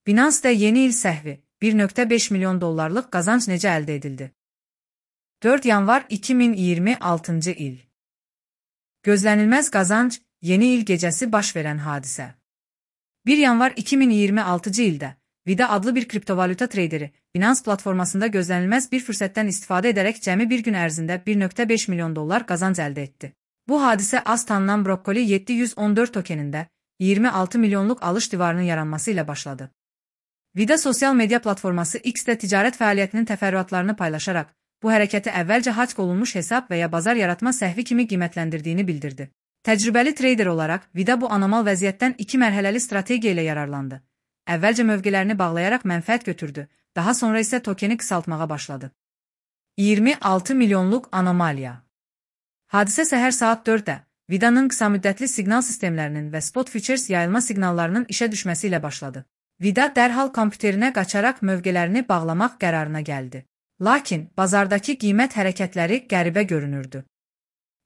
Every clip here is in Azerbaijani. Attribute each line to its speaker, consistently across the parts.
Speaker 1: Binance'da yeni il səhvi 1,5 milyon dollarlıq qazanc necə əldə edildi? 4 yanvar 2026 il. Gözlənilməz qazanc, yeni il gecəsi baş verən hadisə. 1 yanvar 2026 ildə Vida adlı bir kriptovalyuta treyderi Binance platformasında gözlənilməz bir fürsətdən istifadə edərək cəmi bir gün ərzində 1,5 milyon dollar qazanc əldə etdi. Bu hadisə az tanınan Broccoli 714 tokenində 26 milyonluq alış divarının yaranması ilə başladı. Vida sosial media platforması X-də ticarət fəaliyyətinin təfərrüatlarını paylaşaraq, bu hərəkəti əvvəlcə hack olunmuş hesab və ya bazar yaratma səhvi kimi qiymətləndirdiyini bildirdi. Təcrübəli treyder olaraq Vida bu anormal vəziyyətdən 2 mərhələli strategiya ilə yararlandı. Əvvəlcə mövqelərini bağlayaraq mənfəət götürdü, daha sonra isə tokeni qısaltmağa başladı. 26 milyonluq anomaliya. Hadisə səhər saat 4-də Vida'nın qısamüddətli siqnal sistemlərinin və spot futures yayılma siqnallarının işə düşməsi ilə başladı. Vida dərhal kompüterinə qaçaraq mövqelərini bağlamaq qərarına gəldi. Lakin bazardakı qiymət hərəkətləri qəribə görünürdü.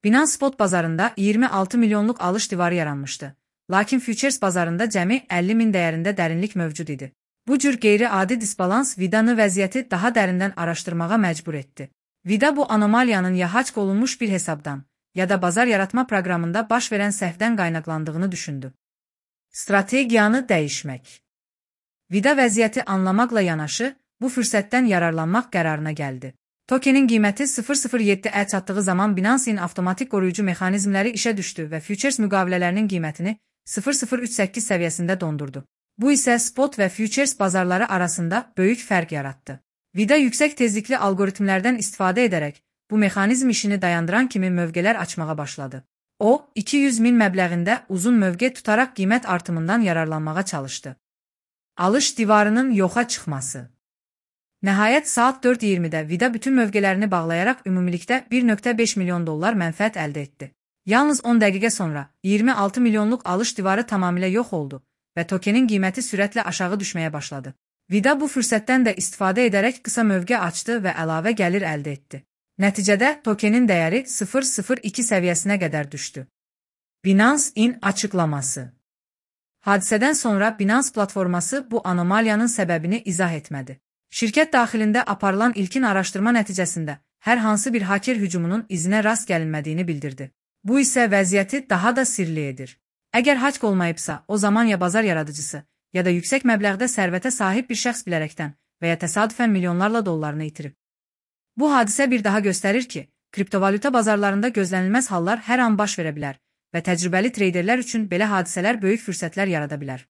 Speaker 1: Binance spot bazarında 26 milyonluq alış divarı yaranmışdı. Lakin futures bazarında cəmi 50 min dəyərində dərinlik mövcud idi. Bu cür qeyri-adi disbalans Vida'nı vəziyyəti daha dərindən araşdırmağa məcbur etdi. Vida bu anomaliyanın ya hack olunmuş bir hesabdan, ya da bazar yaratma proqramında baş verən səhvdən qaynaqlandığını düşündü. Strategiyanı dəyişmək. Vida vəziyyəti anlamaqla yanaşı, bu fürsətdən yararlanmaq qərarına gəldi. Tokenin qiyməti 0.07-ə çatdığı zaman Binance'in avtomatik qoruyucu mexanizmləri işə düşdü və futures müqavilələrinin qiymətini 0.038 səviyyəsində dondurdu. Bu isə spot və futures bazarları arasında böyük fərq yaratdı. Vida yüksək tezlikli algoritmlərdən istifadə edərək, bu mexanizm işini dayandıran kimi mövqelər açmağa başladı. O, 200 min məbləğində uzun mövqe tutaraq qiymət artımından yararlanmağa çalışdı. Alış divarının yoxa çıxması. Nəhayət saat 4:20-də Vida bütün mövqələrini bağlayaraq ümumilikdə 1,5 milyon dollar mənfəət əldə etdi. Yalnız 10 dəqiqə sonra 26 milyonluq alış divarı tamamilə yox oldu və tokenin qiyməti sürətlə aşağı düşməyə başladı. Vida bu fürsətdən də istifadə edərək qısa mövqe açdı və əlavə gəlir əldə etdi. Nəticədə tokenin dəyəri 0.02 səviyyəsinə qədər düşdü. Binance-in açıqlaması. Hadisədən sonra Binance platforması bu anomaliyanın səbəbini izah etmədi. Şirkət daxilində aparılan ilkin araşdırma nəticəsində hər hansı bir haker hücumunun izinə rast gəlinmədiyini bildirdi. Bu isə vəziyyəti daha da sirli edir. Əgər hack olmayıbsa, o zaman ya bazar yaradıcısı, ya da yüksək məbləğdə sərvətə sahib bir şəxs bilərəkdən və ya təsadüfən milyonlarla dollarını itirib. Bu hadisə bir daha göstərir ki, kriptovalyuta bazarlarında gözlənilməz hallar hər an baş verə bilər və təcrübəli treyderlər üçün belə hadisələr böyük fürsətlər yarada bilər.